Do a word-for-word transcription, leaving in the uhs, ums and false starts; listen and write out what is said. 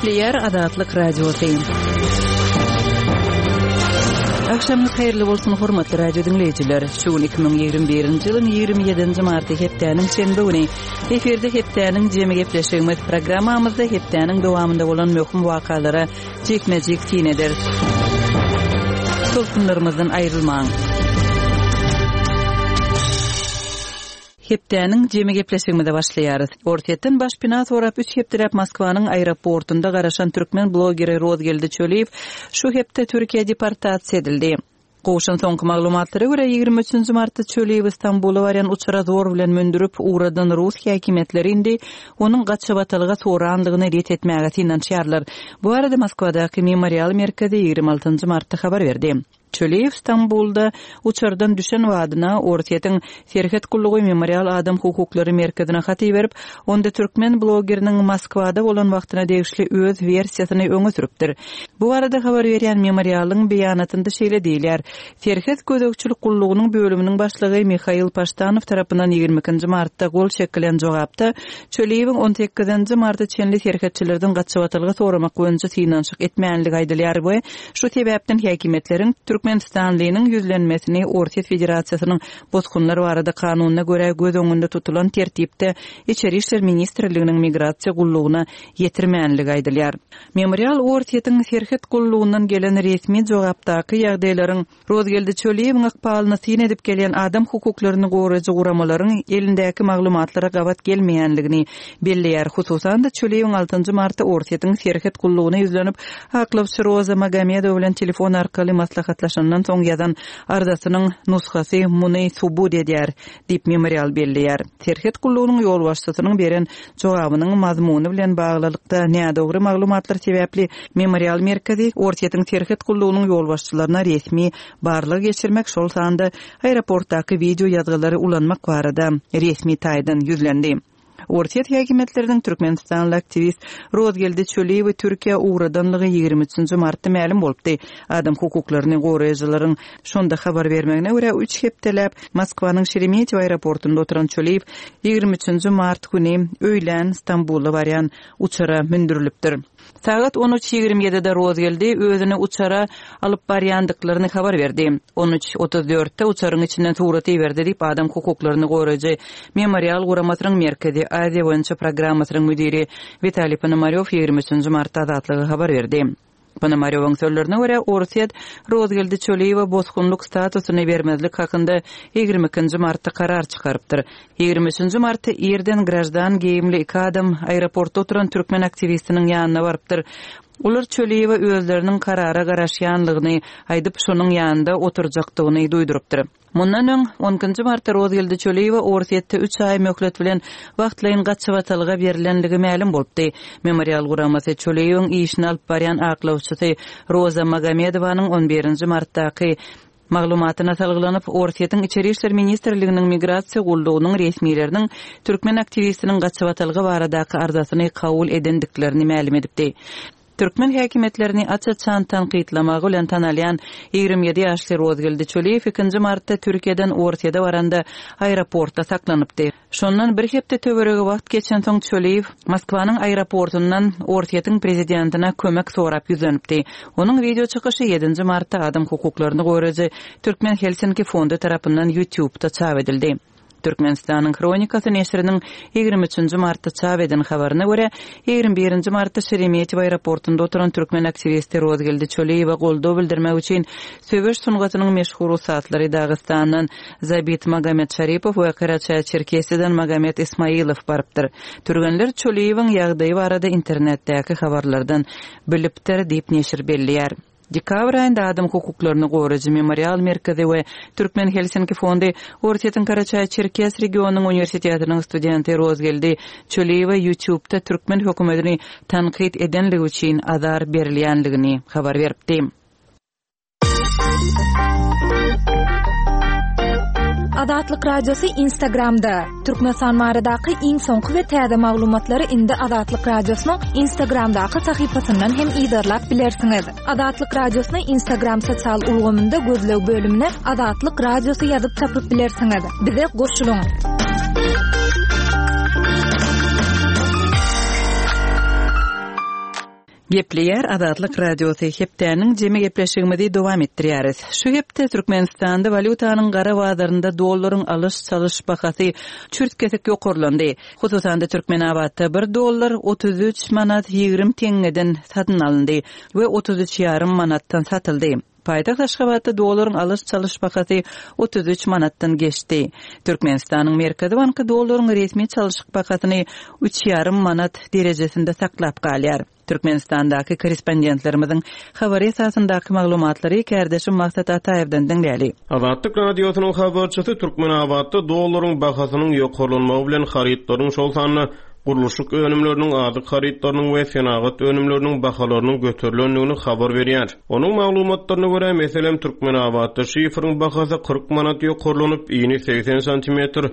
Gepleýär Azatlyk Radiosy. Agşamyňyz haýyrly bolsun, hormatly radio diňleýjiler. Şu gün iki müň ýigrimi birinji ýylyň ýigrimi ýedinji marty hepdäniň şenbe güni. Efirde hepdäniň jemi gepleşigimiz programmamyzda hepdäniň dowamynda bolan möhüm wakalara jikme-jik syn ederis. Tolkunlarymyzdan aýrylmaň. Hepdäniň jemi gepleşigimize başlaýarys. Orsýetden başpena sorap üç hepdeläp Moskwanyň aeroportunda garaşan türkmen blogeri Rozgeldi Çöliýew şu hepde Türkiýä deportasiýa edildi. Gowşan soňky maglumatlara görä ýigrimi üçünji martda Çöliýewi Stambula barýan uçara zor bilen mündürip ugradan rus häkimiýetleri indi onuň gaçybatalga sorandygyny ret etmäge synanyşýarlar. Bu barada Moskwadaky Memorial merkezi ýigrimi altynjy martda habar berdi. Çöliýew Stambulda uçardan düşen badyna Orsýetiň Serhet gullugy Memorial adam hukuklary merkezine hat iberip, onda türkmen blogeriniň Moskwada bolan wagtyna degişli öz wersiýasyny öňe sürüpdir. Bu barada habar berýän Memorialyň beýanatynda şeýle diýilýär. Serhet gözegçilik gullugynyň bölüminiň başlygy Mihail Paştanow tarapyndan ýigrimi ikinji martda gol çekilen jogapda Çöliýewiň on sekizinji marta çenli serhetçilerden gaçybatalga soramak boýunça synanyşyk etmänligi aýdylýar we şu sebäpden häkimiýetleriň Türkmenistanlynyň ýüzlenmesini Orsýet Federasiýasynyň bosgunlar barada kanunyna görä göz öňünde tutulan tertipde Içeri işler ministrliginiň migrasiýa gullugyna ýetirmänligi aýdylýar. Memorial Orsýetiň serhet gullugyndan gelen resmi jogapdaky ýagdaýlaryň Rozgeldi Çöliýewiň ykbalyny syn edip gelýän adam hukuklaryny goraýjy guramalaryň elindäki maglumatlara gabat gelmeýänligini belleýär. Hususan-da Çöliýewiň altynjy martda Orsýetiň serhet gullugyna ýüzlenip, aklawçy Roza Magomedowa bilen telefon arkaly maslahatlaşandan soň ýazan arzasynyň nusgasy muny subut edýär, diýip Memorial belleýär. Serhet gullugynyň ýolbaşçysynyň beren jogabynyň mazmuny bilen baglylykda nädogry maglumatlar sebäpli Memorial merkezi Orsýetiň serhet gullugynyň ýolbaşçylaryna resmi barlag geçirmek, şol sanda aeroportdaky video ýazgylary ulanmak barada resmi taýdan ýüzlendi. Orsýet häkimiýetleriniň Türkmenistanly aktiwist Rozgeldi Çöliýewi Türkiýä ugradanlygy ýigrimi üçünji martda mälim bolupdy. Adam hukuklaryny goraýjylaryň şonda habar bermegine görä üç hepdeläp Moskwanyň Şeremetýewo aeroportunda oturan Çöliýew ýigrimi üçünji mart güni öýlän Stambula barýan uçara mündürilipdir. Sagat on üç ýigrimi ýedide Rozgeldi özüni uçara alyp barýandyklaryny habar berdi. On üç otuz dörtde uçaryň içinden surat iberdi diýip adam hukuklaryny goraýjy Memorial guramasynyň Merkezi Aziýa boýunça programmasynyň müdiri Witaliý Ponomarýow ýigrimi üçünji martda Azatlyga habar berdi. Ponomarýowyň sözlerine görä Orsýet Rozgeldi Çöliýewe bosgunlyk statusyny bermezlik hakynda ýigrimi ikinji martda karar çykarypdyr. Ýigrimi üçünji martda irden grajdan geýimli iki adam aeroportda oturan türkmen aktiwistiniň ýanyna barypdyr. Olar Çöliýewe özleriniň karara garaşýanlygyny aýdyp, şonuň ýanynda oturjakdygyny duýdurypdyr. Mundan öň on ikinji martda Rozgeldi Çöliýewe Orsýetde üç aý möhlet bilen wagtlaýyn gaçybatalga berilenligi mälim bolupdy. Memorial guramasy Çöliýewiň işini alyp barýan aklawçysy Roza Magomedowanyň on birinji martdaky maglumatyna salgylanyp, Orsýetiň Içeri işler ministrliginiň migrasiýa gullugynyň resmileriniň türkmen aktiwistiniň gaçybatalga baradaky arzasyny kabul edendiklerini mälim edipdi. Türkmen häkimiýetlerini aç-açan tankytlamagy bilen tanalýan ýigrimi ýedi ýaşly Rozgeldi Çöliýew ikinji martda Türkiýeden Orsýete baranda aeroportda saklanypdy. Şondan bir hepde töweregi wagt geçensoň Çöliýew Moskwanyň aeroportundan Orsýetiň prezidentine kömek sorap ýüzlenipdi. Onuň video çykyşy ýedinji martda adam hukuklaryny goraýjy Türkmen Helsinki fondy tarapyndan YouTube'da çap edildi. Türkmenistanyň Hronikasy neşiriniň ýigrimi üçünji martda çap eden habaryna görä, ýigrimi birinji martda Şeremetýewo aeroportunda oturan türkmen aktiwisti Rozgeldi Çöliýewe goldaw bildirmek üçin söweş sungatynyň meşhur ussatlary Dagystandan Zabit Magomed Şaripow we Karaçaý-Çerkesiýadan Magomed Ismailow barypdyr. Türgenler Çöliýewiň ýagdaýy barada internetdäki habarlardan bilipdir diýip neşir belleýär. Dekabr aýynda adam hukuklaryny goraýjy Memorial merkezi we Türkmen Helsinki fondy Orsýetiň Karaçaý-Çerkes regionynyň uniwersitetiniň studenti Rozgeldi Çöliýewe YouTube'da türkmen hökümetini tankyt edenligi üçin azar berilýänligini habar beripdi. Azatlyk Radiosy Instagramda. Türkmenistan baradaky iň soňky we täze maglumatlary indi Azatlyk Radiosynyň Instagramdaky sahypasyndan hem yzarlap bilersiňiz. Azatlyk Radiosyny Instagram sosial ulgamynda gözleg bölümine Azatlyk Radiosy ýazyp tapyp bilersiňiz. Bize goşulyň. Gepleýär Azatlyk Radiosy hepdäniň jemi gepleşigimizi dowam etdirýäris. Şu hepde Türkmenistanda walýutanyň gara bazarynda dollaryň alyş-çalyş bahasy çürt-kesik ýokarlandy. Hususan-da Türkmenabatda bir dollar otuz üç manat ýigrimi teňňeden satyn alyndy we otuz üç ýarym manatdan satyldy. Paýtagt Aşgabatda dollaryň alyş-çalyş bahasy otuz üç manatdan geçdi. Türkmenistanyň Merkezi banky dollaryň resmi çalyşyk bahasyny üç ýarym manat derejesinde saklap galýar. Türkmenistandaky korrespondentlerimiziň habary esasyndaky maglumatlary kärdeşim Maksat Ataýewden diňläli. Azatlyk Radiosynyň habarçysy Türkmenabatda dollaryň bahasynyň ýokarlanmagy bilen harytlaryň, şol sanda gurluşyk önümleriniň, azyk harytlarynyň we senagat önümleriniň bahalarynyň göterilendigini habar berýär. Onuň maglumatlaryna görä, meselem, Türkmenabatda şifriň bahasy kyrk manat ýokarlanyp, ini seksen santimetr